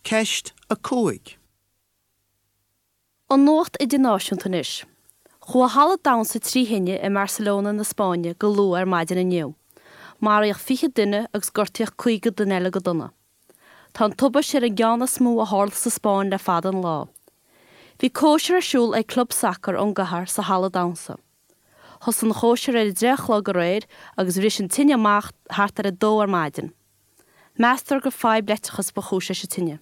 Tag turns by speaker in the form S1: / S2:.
S1: Ceist 5.
S2: An nuacht idirnáisiúnta anois. Chuaigh halla damhsa tri thine i mBarcelona na Spáinne go luath ar maidin inniu. Maraíodh 20 duine agus gortaíodh 50 duine eile go dona. Tá an tubaiste ar an gceann is mó a tharla sa Spáinn le fada an lá. Bhí cóisir ar siúl ag club sacair ón gcathair sa halla damhsa. Thosaigh an chóisir ar a deich a chlog aréir agus bhris an tine amach thart ar a dó ar maidin. Meastar gur fadhb leictreachais ba chúis leis an tine.